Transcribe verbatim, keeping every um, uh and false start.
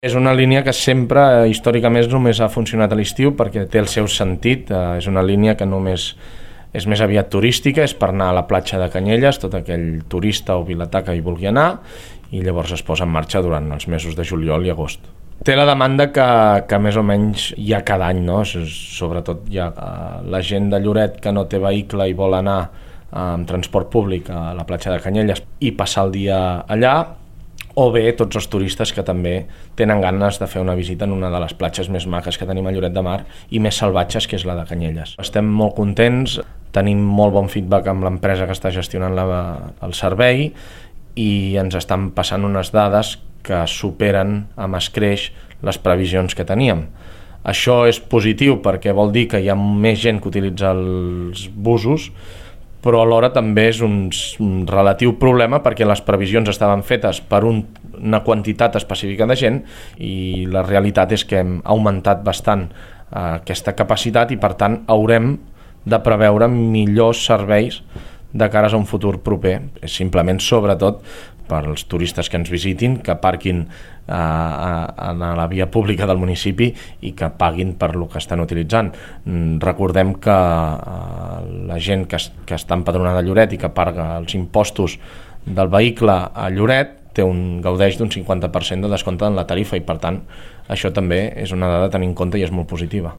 És una línia que sempre, històricament, només ha funcionat a l'estiu perquè té el seu sentit. És una línia que només és més aviat turística, és per anar a la platja de Canyelles, tot aquell turista o vilatà que hi vulgui anar, i llavors es posa en marxa durant els mesos de juliol i agost. Té la demanda que, que més o menys hi ha cada any, no? Sobretot hi ha la gent de Lloret que no té vehicle i vol anar amb transport públic a la platja de Canyelles i passar el dia allà, o bé tots els turistes que també tenen ganes de fer una visita en una de les platges més maques que tenim a Lloret de Mar i més salvatges, que és la de Canyelles. Estem molt contents, tenim molt bon feedback amb l'empresa que està gestionant la, el servei, i ens estan passant unes dades que superen amb escreix les previsions que teníem. Això és positiu perquè vol dir que hi ha més gent que utilitza els busos, però alhora també és un, un relatiu problema perquè les previsions estaven fetes per un, una quantitat específica de gent i la realitat és que hem augmentat bastant eh, aquesta capacitat i per tant haurem de preveure millors serveis de cares a un futur proper. És simplement, sobretot, per als turistes que ens visitin, que aparquin eh, a, a la via pública del municipi i que paguin per lo que estan utilitzant. Recordem que eh, la gent que, que està empadronada a Lloret i que paga els impostos del vehicle a Lloret té un, gaudeix d'un cinquanta per cent de descompte en la tarifa i per tant això també és una dada a tenir en compte i és molt positiva.